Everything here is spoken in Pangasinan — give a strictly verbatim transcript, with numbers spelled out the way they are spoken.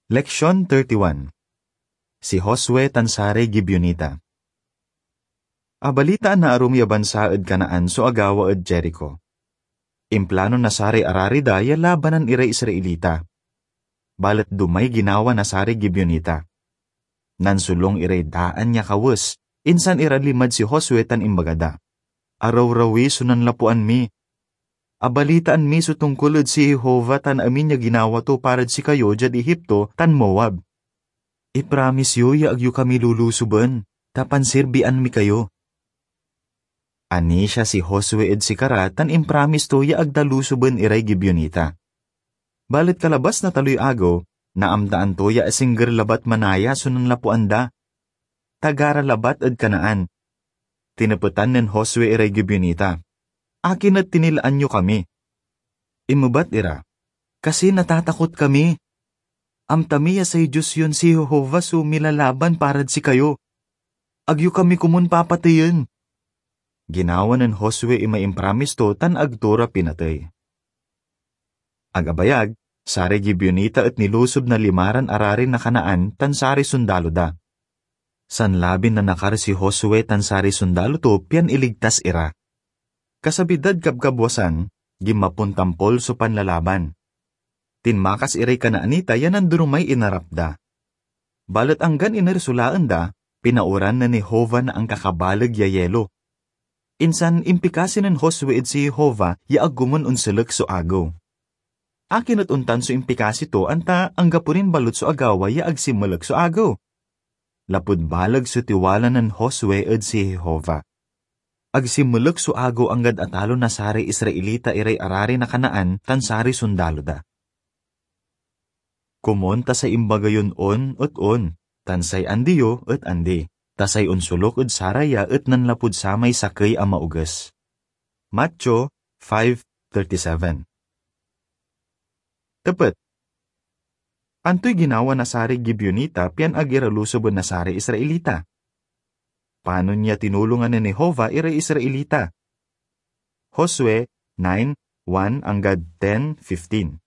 Leksion thirty-one. Si Josue tan saray Gibeonita. Abalitaan na arum ya bansa ed Canaan so agawa ed Jerico. Implano na saray arari da ya labanan iray Israelita. Balet dumay ginawa na saray Gibeonita. Nansolung iray daan ya kawes, insan ira linmad si Josue tan imbaga da, "Arawrawi so nanlapuan mi. Abalitaan mi so tongkol ed si Jehovah tan amin ya ginawa to parad sikayo diad Egipto tan Moab. Ipramis yo ya ag yo kami lulusoben, ta pansirbian mi kayo." Anisia si Josue ed sikara tan impramis to ya ag da lusoben iray Gibeonita. Balet kalabas na taloy agew, naamtaan to ya asingger labat manaya so nanlapuan da. Taga ra labat ed Canaan. Tinepetan nen Josue iray Gibeonita, "Akin et tinilaan yo kami?" Inmebat ira, "Kasi natatakot kami. Amta mi ya say Dios yon si Jehovah so milalaban parad sikayo. Ag yo kami komun papateyen." Ginawa nen Josue imay impramis to tan ag to ra pinatey. Agabayag, saray Gibeonita et nilusob na limaran arari na Canaan tan saray sondalo da. Sanlabin nanakar si Josue tan saray sondalo to pian iligtas ira. Kasabi dad kabkabwasan, ginmapon tampol so panlalaban. Tinmakas iray Canaanita ya nandurumay inarap da. Balet anggan iner so laen da, pinaoran nen Jehovah na ankakabaleg ya yelo. Insan impikasi nen Josue ed si Jehovah ya ag komun onselek so agew. Akin et ontan so impikasi to, anta anggapo nin balut so agawa ya ag sinmelek so agew? Lapud baleg so tiwala nen Josue ed si Jehovah. Ag sinmelek so agew anggad atalo na saray Israelita iray arari na Canaan tan saray sondalo da. Komon ta say imbaga yon on et on, tan say andi yo et andi, ta say onsoluk ed saraya et nanlapud samay sakey a maoges. Mateo five thirty-seven. Tepet. Antoy ginawa na saray Gibeonita pian ag ira lusoben na saray Israelita? Panon ya tinulongan nen Jehovah iray Israelita? Josue nine, one anggad ten fifteen.